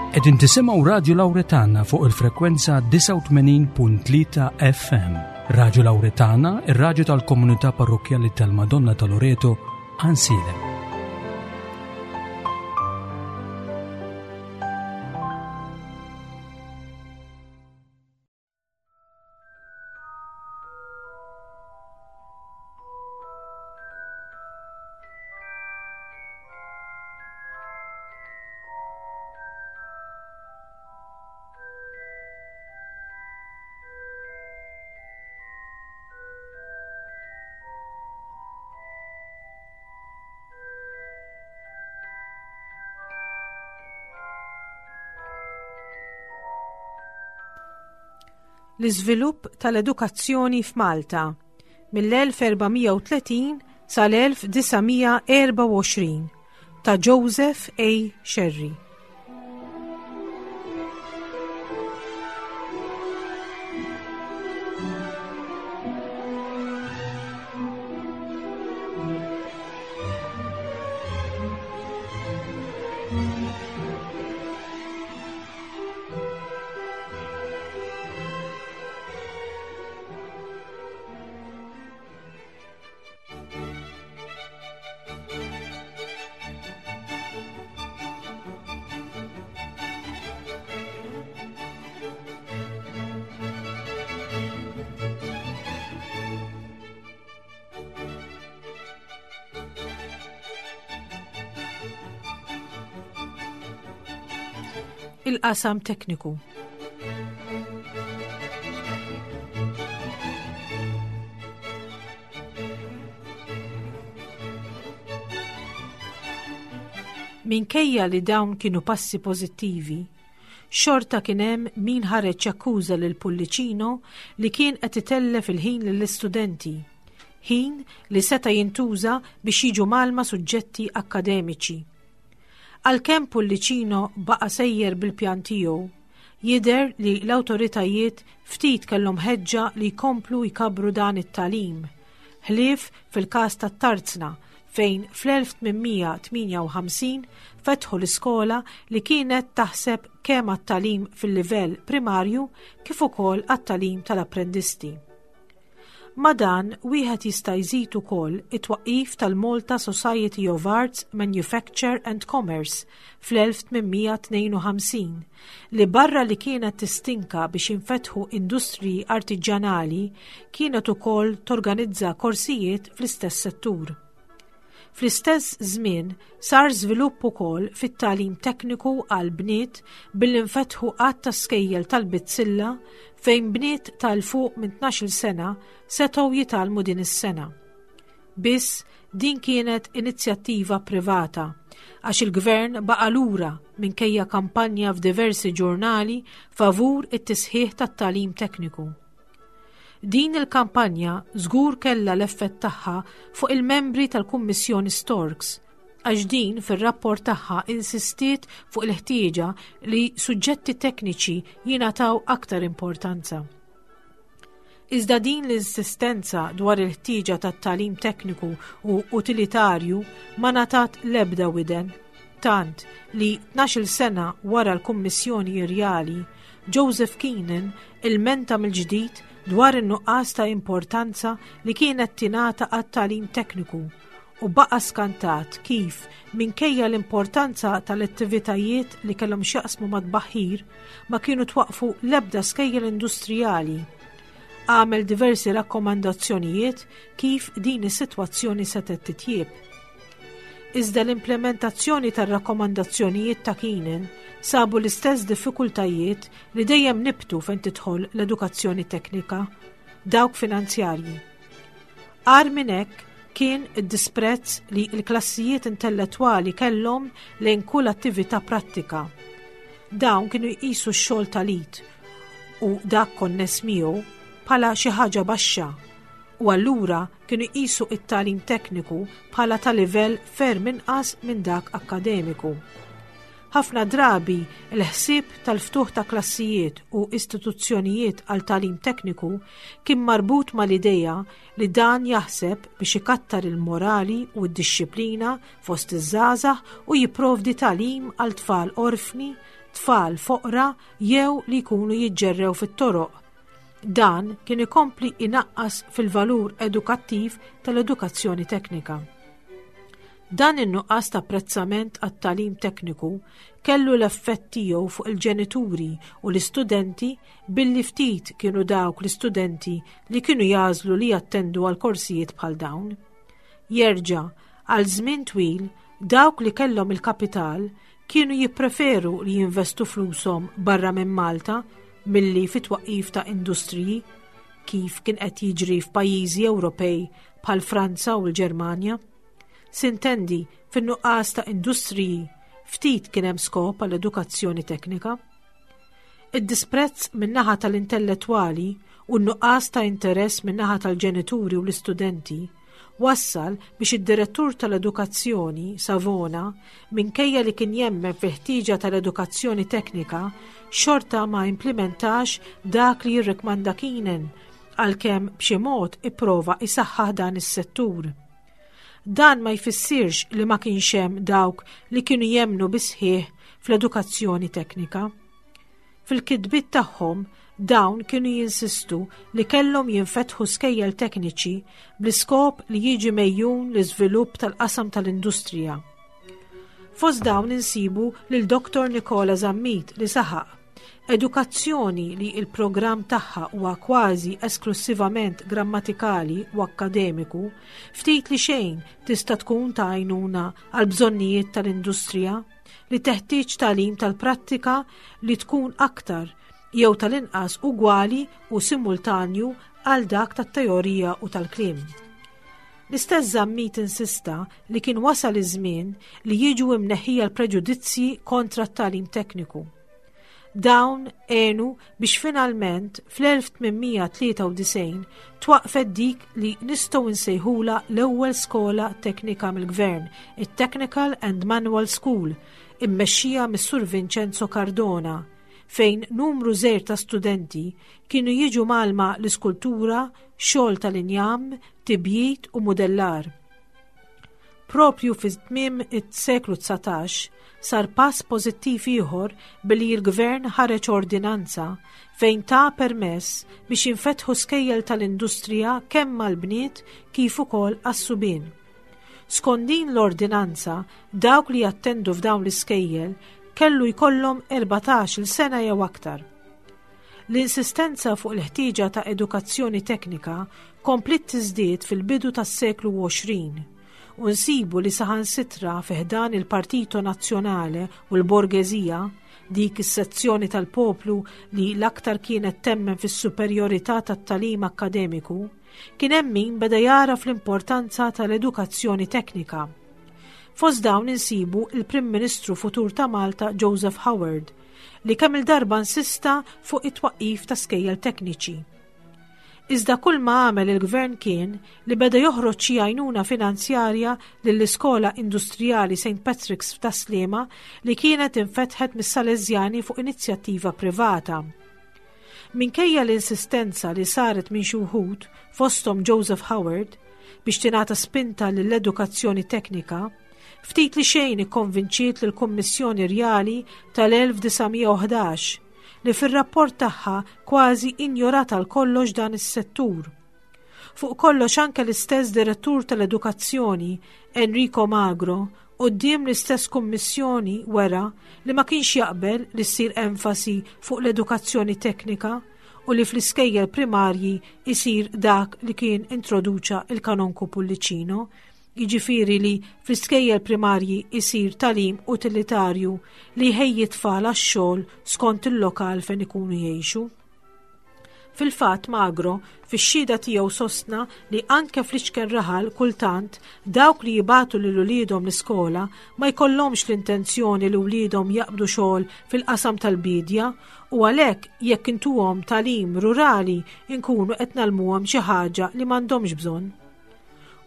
Qegħdin tisimgħu Radju Lawretana fuq il-frekwenza 89.3 FM. Radju Lawretana, ir-radju tal-komunità parrokkjali tal-Madonna ta' Loreto, Ansilem. L-iżvilupp tal-edukazzjoni f'Malta mill-1430 sal-1924 ta' Joseph A. Scerri. Il-qasam tekniku. Minkejja li dawn kienu passi pożittivi, xorta kien hemm min ħareġ jakkuża lil Pullicino li kien qed itellef il-ħin lill-istudenti, ħin li seta' jintuża biex jiġu mgħallma suġġetti akkademiċi. Għalkemm Pullicino baqa' sejjer bil-pjan tiegħu, jidher li l-awtoritajiet ftit kellhom ħeġġa li jkomplu jkabbru dan it-tagħlim, ħlief fil-każ tat-Tarzna fejn fl-1858 fetħu l-iskola li kienet taħseb kemm għat-tagħlim fil-livell primarju kif ukoll għat-tagħlim tal-apprendisti. Ma' dan, wieħed jista' jżid ukoll it-twaqqif tal-Malta Society of Arts, Manufacture and Commerce fl-1852, li barra li kienet tistinka biex jinfetħu industriji artiġjanali, kienet ukoll torganizza korsijiet fl-istess settur. Fl-istess żmien sar żvilupp ukoll fit-tagħlim tekniku għal bniet billi nfetħu għadd ta' skejjel tal-bizzilla fejn bniet ta' 'l fuq minn tnax-il sena setgħu jitgħallmu din is-sena. Biss din kienet inizjattiva privata għax il-gvern baqa' lura minkejja kampanja f'diversi ġurnali favur it-tisħiħ tat-tagħlim tekniku. Din il-kampanja żgur kellha l-effett tagħha fuq il-membri tal-Kummissjoni Storks għax din fir-rapport tagħha insistiet fuq il-ħtieġa li suġġetti tekniċi jingħataw aktar importanza. Iżda din l-insistenza dwar il-ħtieġa tat-tagħlim tekniku u utilitarju ma ngħatat l-ebda widen, tant li 12-il sena wara l-Kummissjoni Irjali, Joseph Keenan ilmenta mill-ġdid dwar in-nuqqas ta' importanza li kienet tingħata għat-tagħlim tekniku u baqa' skantat kif, minkejja l-importanza tal-attivitajiet li kellhom x'jaqsmu mat-tbaħħir, ma kienu twaqqfu l-ebda skejjel industrijali. Għamel diversi rakkomandazzjonijiet kif din is-sitwazzjoni setgħet titjieb. Iżda l-implementazzjoni tar-rakkomandazzjonijiet ta' Keenan sabu l-istess diffikultajiet li dejjem nibtu fejn tidħol l-edukazzjoni teknika, dawk finanzjarji. Agħar minn hekk kien id-disprezz li l-klassijiet intellettwali kellhom lejn kull attività prattika. Dawn kienu jqisu x-xogħol tal-id u dak konness miegħu bħala xi ħaġa baxxa u allura kienu jqisu t-tagħlim tekniku bħala ta' livell ferm inqas minn dak akkademiku. Ħafna drabi, il-ħsieb tal-ftuħ ta' klassijiet u istituzzjonijiet għal tagħlim tekniku kien marbut mal-idea li dan jaħseb biex ikattar il-morali u d-dixxiplina fost iż-żgħażagħ u jipprovdi tagħlim għal tfal orfni, tfal foqra jew li jkunu jiġġerrew fit-toroq. Dan kien ikompli inaqqas fil-valur edukattiv tal-edukazzjoni teknika. Dan in-nuqqas ta' apprezzament għat-tagħlim tekniku kellu l-effett tiegħu fuq il-ġenituri u l-istudenti billi ftit kienu dawk l-istudenti li kienu jagħżlu li jattendu għal korsijiet bħal dawn. Jerġa', għal żmien twil, dawk li kellhom il-kapital kienu jippreferu li jinvestu flushom barra minn Malta milli fit-twaqqif ta' industriji, kif kien qed jiġri f'pajjiżi Ewropej bħal Franza u l-Ġermanja. Sintendi, fin-nuqqas ta' industriji, ftit kien hemm skop għall edukazzjoni teknika. Id-disprezz min-naħa tal-intellettwali u n-nuqqas ta' interess min-naħa tal-ġenituri u l-istudenti wassal biex id-direttur tal-edukazzjoni, Savona, minkejja li kien jemmen fil-ħtieġa tal-edukazzjoni teknika, xorta ma implimentax dak li jirrikmanda Keenan għalkemm b'xi mod ipprova isaħħaħ dan is-settur. Dan ma jfissirx li ma kienx hemm dawk li kienu jemmnu bis-sħiħ fl-edukazzjoni teknika. Fil-kitbiet tagħhom dawn kienu jinsistu li kellhom jinfetħu skejjel tekniċi bl-iskop li jiġi mejjun l-iżvilupp tal-qasam tal-industrija. Fost dawn insibu lil Dr. Nicola Zammit li saħaq Edukazzjoni li l-programm tagħha huwa kważi esklussivament grammatikali u akkademiku, ftit li xejn tista' tkun ta' għajnuna għall-bżonnijiet tal-industrija li teħtieġ tagħlim tal-prattika li tkun aktar jew tal-inqas ugwali u simultanju għal dak tat-teorija u tal-kliem. L-istess Zammit insista li kien wasal iż-żmien li jiġu imneħħija l-preġudizzji kontra t-tagħlim tekniku. Dawn għenu biex finalment fl-1893 twaqfet dik li nistgħu nsejħula l-ewwel skola teknika mill-gvern, it-Technical and Manual School, immexxija mis-Sur Vincenzo Cardona, fejn numru żgħir ta' studenti kienu jiġu mgħallma l-iskultura, xogħol tal-injam, tibjid u mudellar. Propju fi tmiem is-seklu 19 sar pass pożittiv ieħor billi l-Gvern ħareġ ordinanza fejn ta permess biex jinfetħu skejjel tal-industrija kemm għall-bniet kif ukoll għas-subien. Skont din l-ordinanza, dawk li jattendu f'dawn l-iskejjel kellu jkollhom 14-il sena jew aktar. L-insistenza fuq il-ħtieġa ta' edukazzjoni teknika kompliet tiżdied fil-bidu tas-seklu 20 u nsibu li saħansitra fi ħdan il-Partito Nazzjonale u l-borgeżija, dik is-sezzjoni tal-poplu li l-aktar kienet temmen fis-superjorità tat-tagħlim akkademiku, kien hemm min beda jagħraf l-importanza tal-edukazzjoni teknika. Fost dawn insibu il-Prim Ministru futur ta' Malta Joseph Howard, li kemm il-darba insista fuq it-twaqqif ta' skejjel tekniċi. Iżda kull ma għamel il-gvern kien li beda joħroġ xi għajnuna finanzjarja lill-iskola industrijali St. Patrick's f'Tas-Sliema li kienet infetħet mis-Salesjani fuq inizjattiva privata. Minkejja l-insistenza li saret minn xi wħud, fosthom Joseph Howard, biex tingħata spinta lill-edukazzjoni teknika, ftit li xejn ikkonvinċiet lill-Kummissjoni Rjali tal-1911 li fir-rapport tagħha kważi injorat għal kollox dan is-settur. Fuq kollox anke l-istess direttur tal-edukazzjoni, Enrico Magro, quddiem l-istess kummissjoni wera li ma kienx jaqbel li ssir enfasi fuq l-edukazzjoni teknika u li fl-iskejjel primarji isir dak li kien introduċa il-Kanonku Pullicino, jiġifieri li fl-iskejjel primarji jsir tagħlim utilitarju li jħejji t-tfal għax-xogħol skont il-lokal fejn ikunu jgħixu. Fil-fatt Magro, fix-xhieda tiegħu sostna li anke fl-iċken raħal kultant dawk li jibagħtu lil uliedhom l-iskola ma jkollhomx l-intenzjoni li wliedhom jaqbdu xogħol fil-qasam tal-biedja u għalhekk jekk intuhom tagħlim rurali nkunu qed ngħallmuhom xi ħaġa li m'għandhomx bżonn.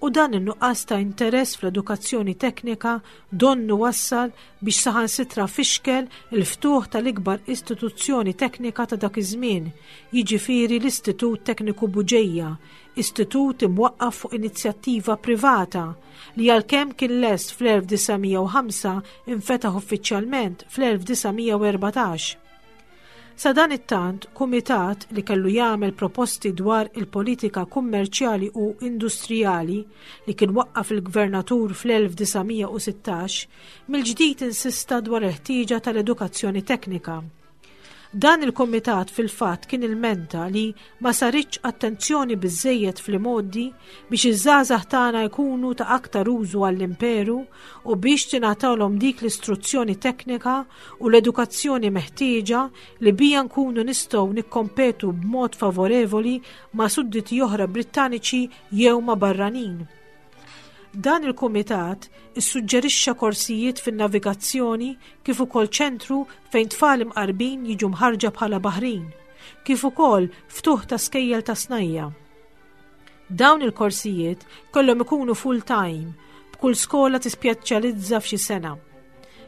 U dan in-nuqqas ta' interess fl-edukazzjoni teknika donnu wassal biex saħansitra fixkel il-ftuħ tal-ikbar istituzzjoni teknika ta' dak iż-żmien, jiġifieri l-Istitut Tekniku Buġeja, istitut imwaqqaf fuq inizjattiva privata li għalkemm kien lest fl-1905 infetaħ uffiċjalment fl-1914. Sadanittant, kumitat li kellu jagħmel proposti dwar il-politika kummerċjali u industrijali li kien waqqaf il-Gvernatur fl-1916, mill-ġdid insista dwar il-ħtieġa tal-edukazzjoni teknika. Dan il-kumitat fil-fatt kien ilmenta li ma saritx attenzjoni biżżejjed fl-imgħoddi biex iż-żgħażagħ tagħna jkunu ta' aktar użu għall-imperu u biex tingħatalhom dik l-istruzzjoni teknika u l-edukazzjoni meħtieġa li bija nkunu nistgħu nikkompetu b'mod favorevoli ma' sudditi oħra Brittaniċi jew ma' barranin. Dan il-kumitat issuġġerixxa korsijiet fin-navigazzjoni kif ukoll ċentru fejn tfal imqarbin jiġu mħarġa bħala baħrin, kif ukoll ftuħ ta' skejjel ta' snajja. Dawn il-korsijiet kellhom ikunu full-time, b'kull skola tispjeċjalizza f'xi sena.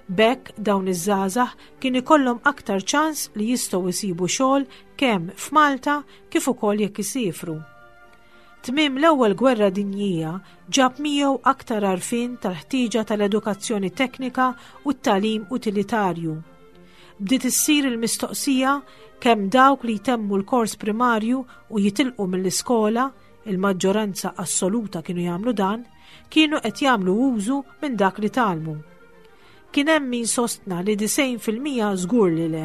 B'hekk dawn iż-żgħażagħ kien ikollhom aktar ċans li jistgħu jsibu xogħol kemm f'Malta kif ukoll jekk isiefru. Tmiem l-Ewwel Gwerra Dinjija ġab miegħu aktar għarfien tal-ħtieġa tal-edukazzjoni teknika u t-tagħlim utilitarju. Bdiet issir il-mistoqsija kemm dawk li jtemmu l-kors primarju u jitilqu mill-iskola, il-maġġoranza assoluta kienu jagħmlu dan, kienu qed jagħmlu użu minn dak li tgħallmu. Kien hemm min sostna li 90% żgur li le.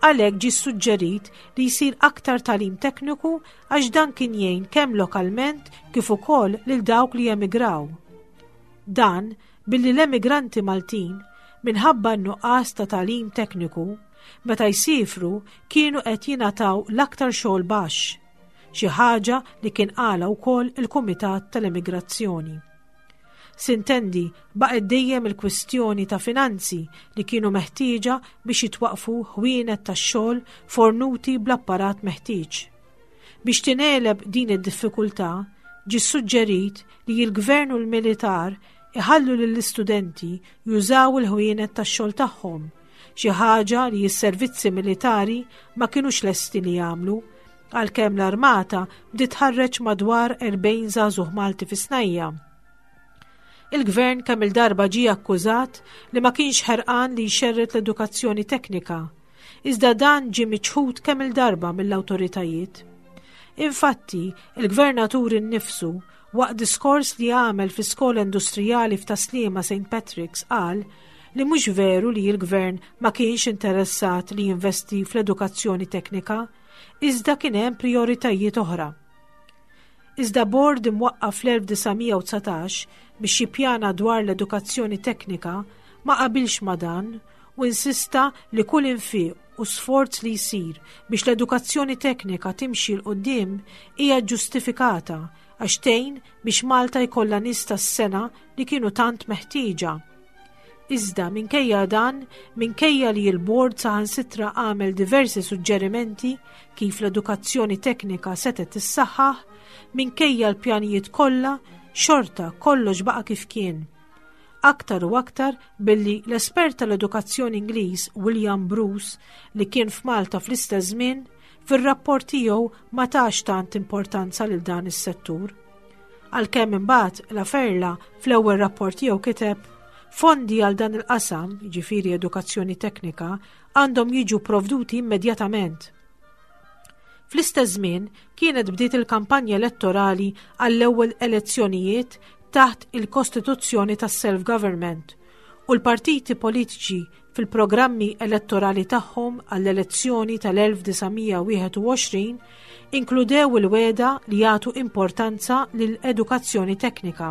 Għalhekk ġie ssuġġerit li jsir aktar tagħlim tekniku għax dan kien jgħin kemm lokalment kif ukoll lil dawk li emigraw. Dan billi l-emigranti Maltin, minħabba n-nuqqas ta' tagħlim tekniku, meta jsiefru kienu qed jingħataw l-aktar xogħol baxx, xi ħaġa li kien qalha wkoll il-Kumitat tal-Emigrazzjoni. Sintendi, baqgħet dejjem il-kwistjoni ta' finanzi li kienu meħtieġa biex jitwaqqfu ħwienet tax-xogħol fornuti bl-apparat meħtieġ. Biex tingħeleb din id-diffikultà, ġie ssuġġerit li l-gvern u l-militar iħallu lill-istudenti jużaw il-ħwienet tax-xogħol tagħhom, xi ħaġa li s-servizzi militari ma kinux lesti li jagħmlu għalkemm l-armata bdiet tħarreġ madwar 40 żagħżugħ Malti fis-snajja. Il-gvern kemm il-darba ġie akkużat li ma kienx ħerqan li jxerred l-edukazzjoni teknika, iżda dan ġie miċħud kemm il-darba mill-awtoritajiet. Infatti, il-gvernatur innifsu waqt diskors li għamel fi skola industrijali f'Taslima St. Patrick's qal li mhux veru li l-gvern ma kienx interessat li jinvesti fl-edukazzjoni teknika, iżda kien hemm prijoritajiet oħra. Iżda bord imwaqqaf fl-1919 biex jippjana dwar l-edukazzjoni teknika ma qabilx ma' dan u insista li kull infiq u sforz li jsir biex l-edukazzjoni teknika timxi 'l quddiem hija ġġustifikata għax tgħin biex Malta jkollha nies tas-sengħa li kienu tant meħtieġa. Iżda minkejja dan, minkejja li l-bord saħansitra għamel diversi suġġerimenti kif l-edukazzjoni teknika setgħet tissaħħaħ, minkejja l-pjanijiet kollha, xorta kollox baqa' kif kien. Aktar u aktar billi l-espert tal-edukazzjoni Ingliż William Bruce li kien f'Malta fl-istess żmien, fir-rapport tiegħu ma tax tant importanza lil dan is-settur. Għalkemm imbagħad La Ferla fl-ewwel rapport tiegħu kiteb fondi għal dan il-qasam, jiġifieri edukazzjoni teknika, għandhom jiġu provduti immedjatament. Fl-istess żmien kienet bdiet il-kampanja elettorali għall-ewwel elezzjonijiet taħt il-Kostituzzjoni tas-Self-Government u l-partiti politiċi fil-programmi elettorali tagħhom għall-elezzjoni tal-1921 inkludew il-wegħda li jagħtu importanza lil edukazzjoni teknika.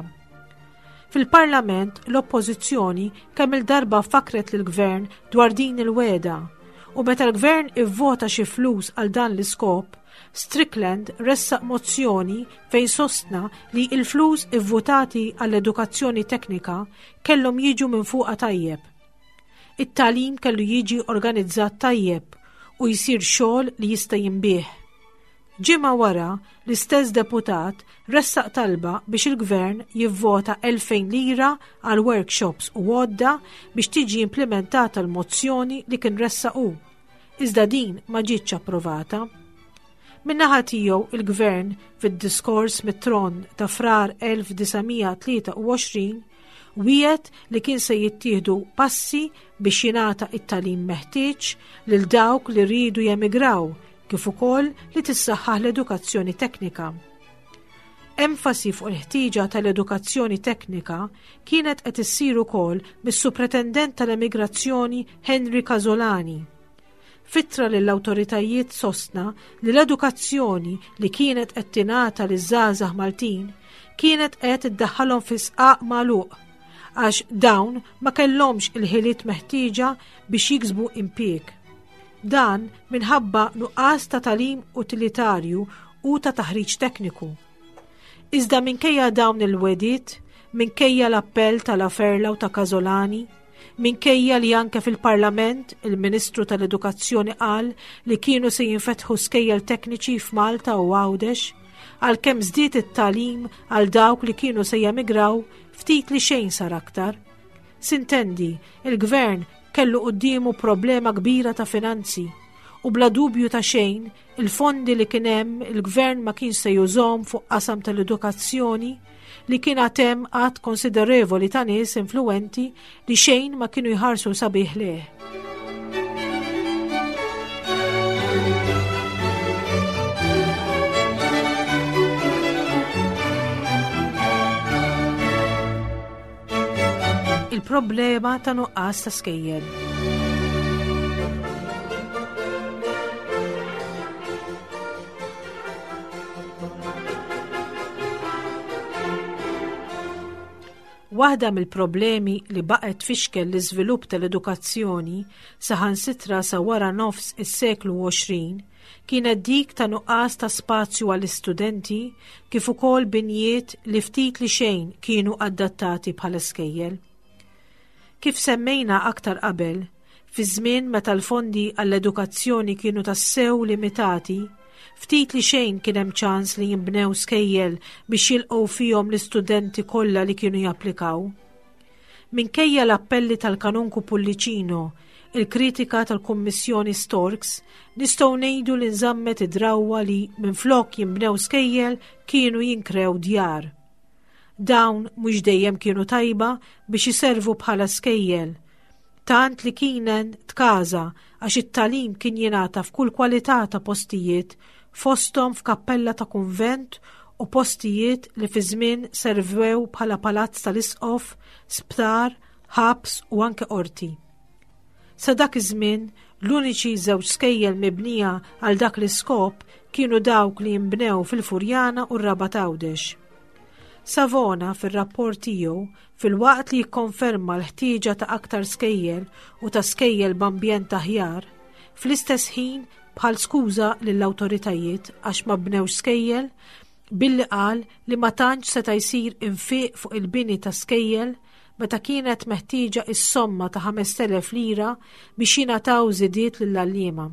Fil-Parlament l-Oppożizzjoni kemm il-darba fakret lill-Gvern dwar din il-wegħda u meta l-Gvern ivvota xi flus għal dan l-iskop, Strickland ressaq mozzjoni fejn sostna li l-flus ivvutati għall-edukazzjoni teknika kellhom jiġu minn fuqha tajjeb. It-tagħlim kellu jiġi organizzat tajjeb u jsir xogħol li jista' jinbiegħ. Ġimgħa wara, l-istess deputat ressaq talba biex il-Gvern jivvota 2,000 lira għal workshops u għodda biex tiġi implimentata l-mozzjoni li kien ressaq hu. Iżda din ma ġietx approvata. Min-naħa tiegħu il-Gvern fid-diskors mit-tron ta' Frar 1923 wiegħed li kien se jittieħdu passi biex jingħata it-tagħlim meħtieġ lil dawk li riedu jemigraw kif ukoll li tissaħħaħ l-edukazzjoni teknika. Enfasi fuq il-ħtieġa tal-edukazzjoni teknika kienet qed issir ukoll mis-Supretendent tal-Emigrazzjoni Henry Casolani. F'ittra lill-awtoritajiet sostna li l-edukazzjoni li kienet qed tingħata liż-żgħażagħ Maltin kienet qed iddaħħalhom fi sqaq magħluq għax dawn ma kellhomx il-ħiliet meħtieġa biex jiksbu impjieg. Dan minħabba nuqqas ta' tagħlim utilitarju u ta' taħriġ tekniku. Iżda minkejja dawn il-wegħdiet, minkejja l-appell ta' Laferla u ta' Casolani, minkejja li anke fil-Parlament il-Ministru tal-Edukazzjoni qal li kienu se jinfetħu skejjel tekniċi f'Malta u Għawdex, għalkemm żdied it-tagħlim għal dawk li kienu se jemigraw, ftit li xejn sar aktar. Sintendi, il-Gvern kellu quddiemu problema kbira ta' finanzi u bla dubju ta' xejn il-fondi li kien hemm il-gvern ma kienx se jużhom fuq qasam tal-edukazzjoni li kien għad hemm għadd konsiderevoli ta' nies influwenti li xejn ma kienu jħarsu sabiħ lejh. Il-problema ta' nuqqas ta' skejjel. Waħda mill-problemi li baqgħet tfixkel l-iżvilupp tal-edukazzjoni saħansitra sa wara nofs is-seklu 20 kienet dik ta' nuqqas ta' spazju għall-istudenti kif ukoll binjiet li ftit li xejn kienu adattati bħala skejjel. Kif semmejna aktar qabel, fi żmien meta l-fondi għall-edukazzjoni kienu tassew limitati, ftit li xejn kien hemm ċans li jinbnew skejjel biex jilqgħu fihom l-istudenti kollha li kienu japplikaw. Minkejja l-appelli tal-Kanonku Pullicino, il-kritika tal-Kummissjoni Storks, nistgħu ngħidu li nżammet id-drawwa li minflok jinbnew skejjel kienu jinkrew djar. Dawn mhux dejjem kienu tajba biex iservu bħala skejjel, tant li kien tkaża għax it-tagħlim kien jingħata f'kull kwalità ta' postijiet fosthom f'kappella ta' kunvent u postijiet li fi żmien servew bħala palazz tal-isqof, sptar, ħabs u anke qorti. Sa dak iż-żmien, l-uniċi żewġ skejjel mibnija għal dak l-iskop kienu dawk li jinbnew fil-Furjana u r-Rabat Għawdex. Savona fir-rapport tiegħu filwaqt li jikkonferma l-ħtieġa ta' aktar skejjel u ta' skejjel b'ambjent aħjar, fl-istess ħin bħal skuża lill-awtoritajiet għax ma bnewx skejjel billi qal li ma tantx seta' jsir infiq fuq il-bini ta' skejjel meta kienet meħtieġa is-somma ta' 5,000 lira biex jingħataw żidiet lill-għalliema.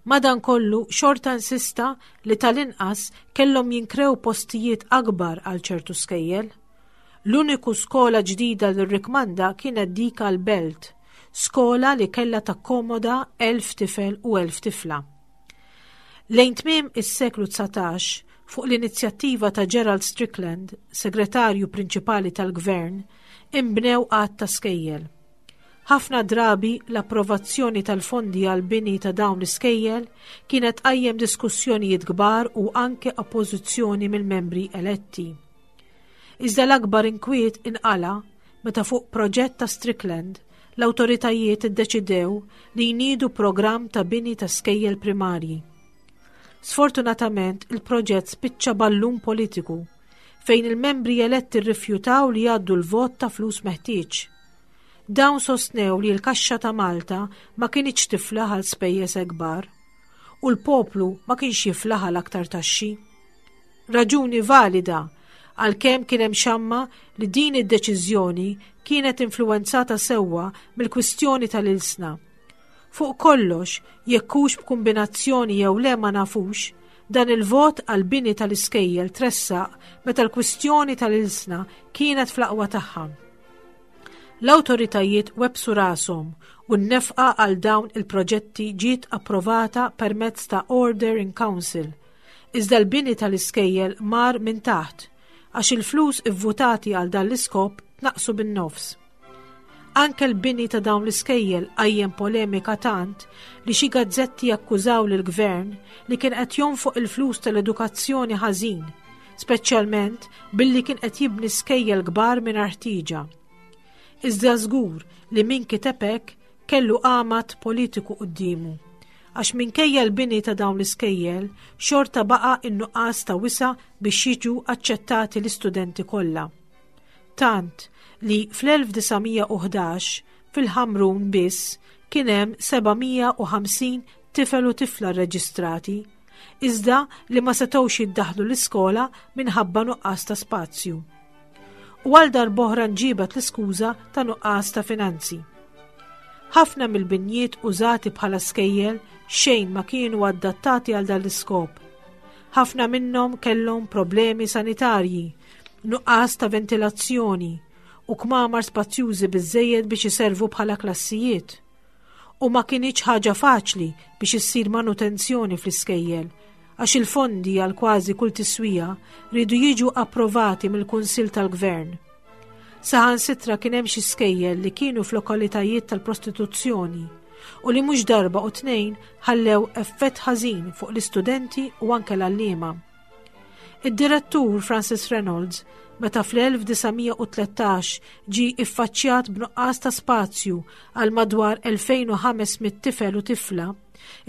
Madankollu xorta insista li tal-inqas kellhom jinkrew postijiet akbar għal ċertu skejjel. L-uniku skola ġdida li rrikmanda kienet dik għall-Belt, skola li kellha takkomoda 1,000 tifel u 1,000 tifla. Lejn tmiem is-seklu 19, fuq l-inizjattiva ta' Gerald Strickland, segretarju prinċipali tal-gvern, inbnew għadd ta' skejjel. Ħafna drabi l-approvazzjoni tal-fondi għall-bini ta' dawn l-iskejjel kienet tqajjem diskussjonijiet kbar u anke oppożizzjoni mill-membri eletti. Iżda l-akbar inkwiet inqala' meta fuq proġett ta' Strickland l-awtoritajiet iddeċidew li jniedu programm ta' bini ta' skejjel primarji. Sfortunatament il-proġett spiċċa ballun politiku fejn il-membri eletti rrifjutaw li jgħaddu l-vot ta' flus meħtieġ. Dawn sostnew li l-kaxxa ta' Malta ma kinitx tiflaħ għal spejjeż kbar u l-poplu ma kienx jiflaħ għal aktar taxxi. Raġuni valida għalkemm kien hemm xamma li din id-deċiżjoni kienet influwenzata sewwa mill-kwistjoni tal-ilsna. Fuq kollox, jekk hux b'kumbinazzjoni jew le ma nafux, dan il-vot għall-bini tal-iskejjel tressaq meta l-kwistjoni tal-ilsna kienet fl-aqwa tagħha. L-awtoritajiet webbsu rashom u n-nefqa għal dawn il-proġetti ġiet approvata permezz ta' Order in Council. Iżda l-bini tal-iskejjel mar minn taħt għax il-flus ivvutati għal dan l-iskop tnaqqsu bin-nofs. Anke l-bini ta' dawn l-iskejjel qajjem polemika tant li xi gazzetti akkużaw lill-gvern li kien qed jonfoq il-flus tal-edukazzjoni ħażin, speċjalment billi kien qed jibni skejjel kbar mingħajr ħtieġa. Iżda żgur li min kiteb hekk kellu għamad politiku quddiemu għax minkejja l-bini ta' dawn l-iskejjel xorta baqa' in-nuqqas ta' wisa' biex jiġu aċċettati l-istudenti kollha. Tant li fl-1911 fil-Ħamrun biss kien hemm 750 tifel u tifla rreġistrati, iżda li ma setgħux jiddaħħlu l-iskola minħabba nuqqas ta' spazju. U għal darb'oħra nġiebet l-iskuża ta' nuqqas ta' finanzi. Ħafna mill-binjiet użati bħala skejjel xejn ma kienu adattati għal dan l-iskop. Ħafna minnhom kellhom problemi sanitarji, nuqqas ta' ventilazzjoni u kmamar spazjużi biżżejjed biex iservu bħala klassijiet. U ma kinitx ħaġa faċli biex issir manutenzjoni fl-iskejjel, għax il-fondi għal kważi kull tiswija riedu jiġu approvati mill-Kunsill tal-Gvern. Saħansitra kien hemm xi skejjel li kienu f'lokalitajiet tal-prostituzzjoni u li mhux darba u tnejn ħallew effett ħażin fuq l-istudenti u anke l-għalliema. Id-direttur Francis Reynolds, meta fl-1913 ġie iffaċċjat b'nuqqas ta' spazju għal madwar 2500 tifel u tifla,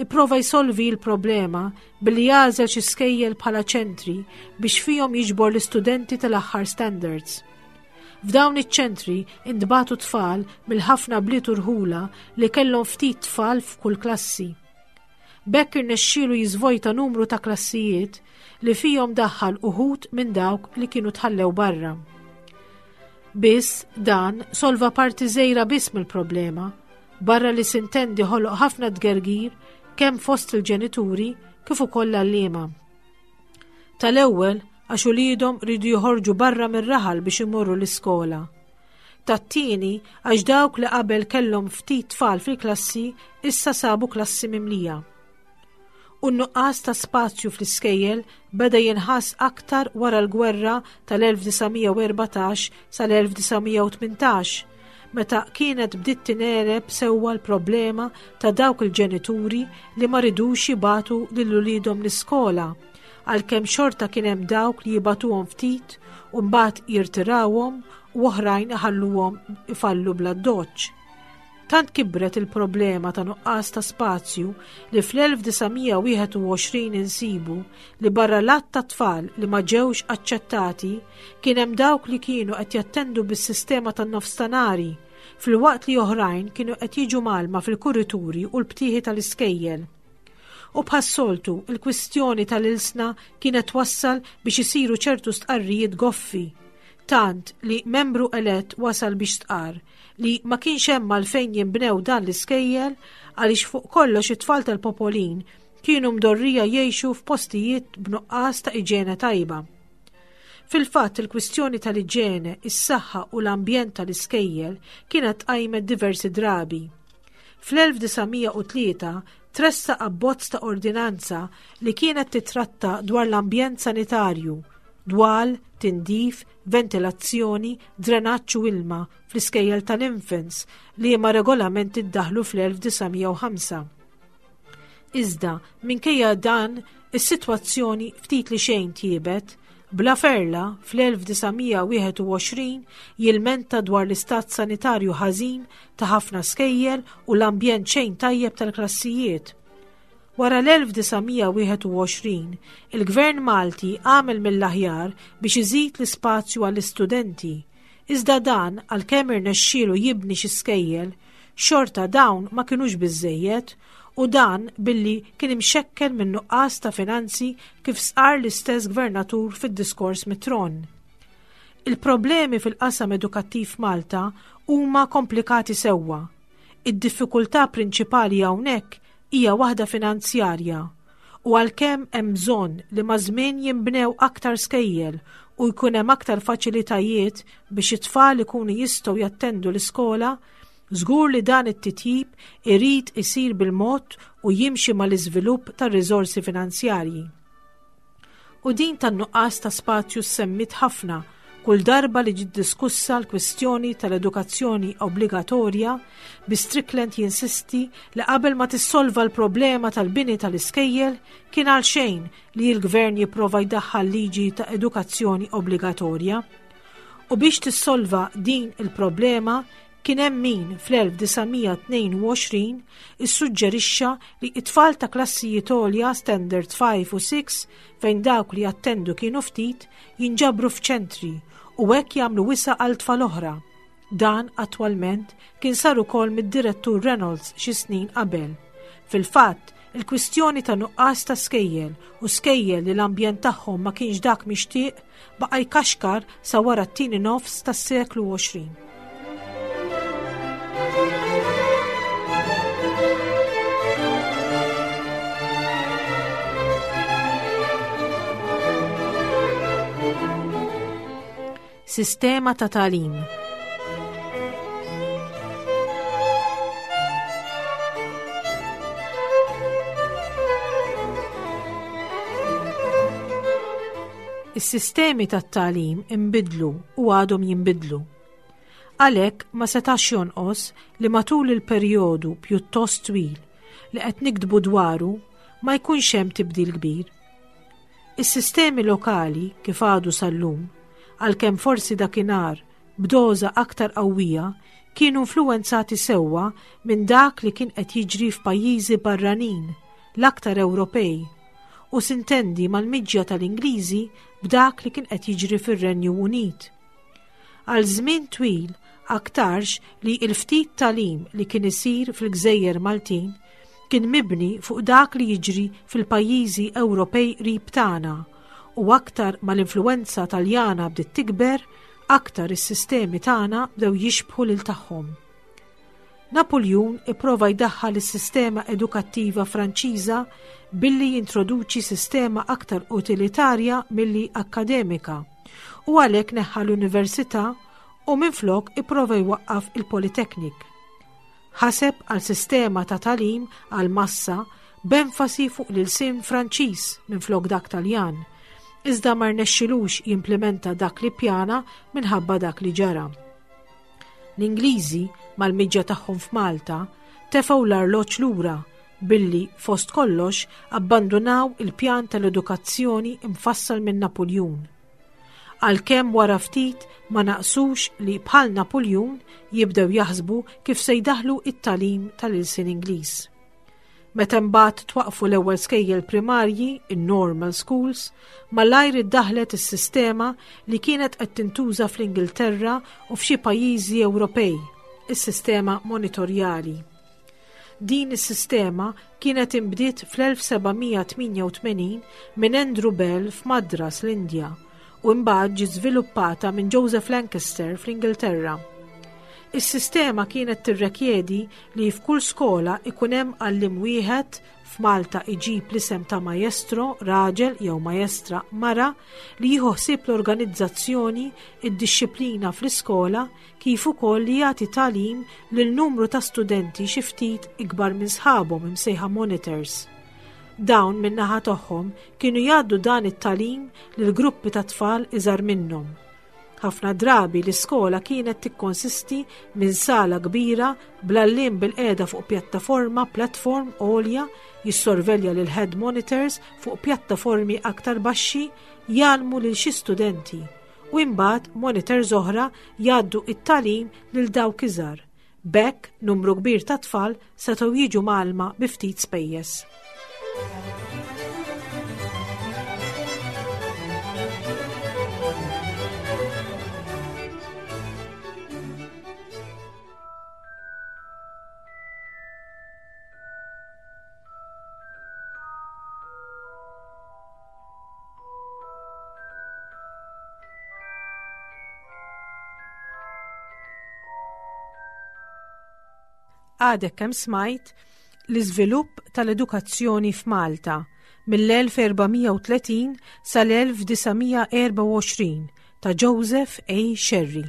ipprova jsolvi l-problema billi jagħżel xi skejjel bħala ċentri biex fihom jiġbor l-istudenti tal-aħħar standards. F'dawn iċ-ċentri intbagħtu tfal mill-ħafna bliet u rħula li kellhom ftit tfal f'kull klassi. B'hekk irnexxielu jiżvojta numru ta' klassijiet li fihom daħħal uħud minn dawk li kienu tħallew barra. Biss dan solva parti żgħira biss mill-problema, barra li sintendi ħoloq ħafna tgergir kemm fost il-ġenituri kif ukoll l-għalliema. Tal-ewwel għax uliedhom riedu joħorġu barra mir-raħal biex imorru l-iskola. Tat-tieni għax dawk li qabel kellhom ftit tfal fil-klassi issa sabu klassi mimlija. U n-nuqqas ta' spazju fl-iskejjel beda jinħass aktar wara l-gwerra tal-1914 sal-1918, meta kienet bdiet tingħeleb sewwa l-problema ta' dawk il-ġenituri li ma ridux jibagħtu lil uliedhom l-iskola, għalkemm xorta kien hemm dawk li jibagħtuhom ftit u mbagħad jirtirawhom u oħrajn iħalluhom ifallu bl-addoċċ. Tant kibret il-problema ta' nuqqas ta' spazju li fl-1921 insibu li barra l-għadd ta' tfal li ma ġewx aċċettati kien hemm dawk li kienu qed jattendu bis-sistema tan-nofstanari filwaqt li oħrajn kienu qed jiġu mgħallma fil-kurituri u l-btieħi tal-iskejjel. U bħas-soltu, il-kwistjoni tal-ilsna kienet twassal biex isiru ċertu stqarrijiet goffi, tant li membru elett wasal biex stqarr li ma kienx hemm għalfejn jinbnew dan l-iskejjel għaliex fuq kollox it-tfal tal-popolin kienu mdorrija jgħixu f'postijiet b'nuqqas ta' iġene tajba. Fil-fatt il-kwistjoni tal-iġene, is-saħħa u l-ambjent tal-iskejjel kienet tqajmet diversi drabi. Fl-1903 tressaq abbozz ta' ordinanza li kienet titratta dwar l-ambjent sanitarju, dwal, tindif, ventilazzjoni, drenaġġ u ilma fl-iskejjel tal-infants, liema regolamenti ddaħħlu fl-1905. Iżda, minkejja dan, is-sitwazzjoni ftit li xejn tjiebet, Bla Ferla, fl-1921 jilmenta dwar l-istat sanitarju ħażin ta' ħafna skejjel u l-ambjent xejn tajjeb tal-klassijiet. Wara l-1921, il-Gvern Malti għamel mill-aħjar biex iżid l-ispazju għall-istudenti, iżda dan għalkemm irnexxielu jibni xi skejjel, xorta dawn ma kinux biżżejjed u dan billi kien imxekkel minn nuqqas ta' finanzi kif stqarr l-istess Gvernatur fid-diskors mit-tron. Il-problemi fil-qasam edukattiv f'Malta huma komplikati sewwa. Id-diffikultà prinċipali hawnhekk hija waħda finanzjarja u għalkemm hemm bżonn li maż-żmien jinbnew aktar skejjel u jkun hemm aktar faċilitajiet biex it-tfal ikunu jistgħu jattendu l-iskola, żgur li dan it-titjib irid isir bil-mod u jimxi mal-iżvilupp tar-riżorsi finanzjarji. U din tan-nuqqas ta' spazju ssemmiet ħafna kull darba li ġiet diskussa l-kwistjoni tal-edukazzjoni obbligatorja bi Strickland jinsisti li qabel ma tissolva l-problema tal-bini tal-iskejjel kien għalxejn li l-gvern jipprova jdaħħal liġi ta' edukazzjoni obbligatorja. U biex tissolva din il-problema kien hemm min fl-1922 issuġġerixxa li t-tfal ta' klassijiet għolja Standard 5 u 6 fejn dawk li jattendu kienu ftit jinġabru f'ċentri u hekk jagħmlu wisa' għal tfal oħra. Dan attwalment kien sar ukoll mid-Direttur Reynolds xi snin qabel. Fil-fatt, il-kwistjoni ta' nuqqas ta' skejjel u skejjel li l-ambjent tagħhom ma kienx dak mixtieq baqa' jkaxkar sa wara t-tieni nofs tas-seklu 20. Sistema ta' tagħlim. Is-sistemi tat-tagħlim inbidlu u għadhom jinbidlu. Għalhekk ma setax jonqos li matul il-perjodu pjuttost twil li qed niktbu dwaru ma jkunx hemm tibdil kbir. Is-sistemi lokali, kif għadu sal-lum, għalkemm forsi dakinhar b'doża aktar qawwija, kienu influwenzati sewwa minn dak li kien qed jiġri f'pajjiżi barranin, l-aktar Ewropej, u sintendi mal-miġja tal-Ingliżi b'dak li kien qed jiġri fir-Renju Unit. Għal żmien twil aktarx li l-ftit tagħlim li kien isir fil-gżejjer Maltin kien mibni fuq dak li jiġri fil-pajjiżi Ewropej qrib tagħna u aktar ma l-influwenza Taljana bdiet tikber, aktar is-sistemi tagħna bdew jixbħu lil tagħhom. Napuljun ipprova jdaħħal is-sistema edukattiva Franċiża billi jintroduċi sistema aktar utilitarja milli akkademika u għalhekk neħħa l-università u minflok ipprova jwaqqaf il-Polytechnic. Ħaseb għal sistema ta' tagħlim għall-massa b'enfasi fuq l-ilsien Franċiż minflok dak Taljan, iżda ma rnexxilux jimplimenta dak li ppjana minħabba dak li ġara. L-Ingliżi, mal-miġja tagħhom f'Malta, tefgħu l-arloġġ lura billi, fost kollox, abbandunaw il-pjan tal-edukazzjoni mfassal minn Napuljun. Għalkemm wara ftit ma naqsux li bħal Napuljun jibdew jaħsbu kif se jdaħħlu t-tagħlim tal-ilsien Ingliż. Meta mbagħad twaqqfu l-ewwel skejjel primarji, in-normal schools, malajr iddaħħlet is-sistema li kienet qed tintuża fl-Ingilterra u f'xi pajjiżi Ewropej, is-sistema monitorjali. Din is-sistema kienet inbdiet fl-1788 minn Andrew Bell f'Madras, l-Indja, u imbagħad ġiet żviluppata minn Joseph Lancaster fl-Ingilterra. Is-sistema kienet tirrekjedi li f'kull skola ikun hemm għalliem wieħed f'Malta iġib l-isem ta' maestro, raġel jew maestra, mara, li jieħu ħsieb l-organizzazzjoni, id-dixxiplina fl-iskola, kif ukoll li jagħti tagħlim lil numru ta' studenti xi ftit ikbar minn sħabhom imsejħa monitors. Dawn min-naħa tagħhom kienu jgħaddu dan it-tagħlim lil gruppi ta' tfal iżgħar minnhom. Ħafna drabi l-iskola kienet tikkonsisti minn sala kbira bl-għalliem bilqiegħda fuq pjattaforma platform għolja jissorvelja lil head monitors fuq pjattaformi aktar baxxi jgħallmu lil xi studenti u imbagħad monitors oħra jgħaddu it-tagħlim lil dawk iżgħar. B'hekk numru kbir ta' tfal setgħu jiġu mgħallma bi ftit spejjeż. Għadek kemm smajt l-iżvilupp tal-edukazzjoni f'Malta. mill-1430 sal-1924 ta' Joseph A. Scerri.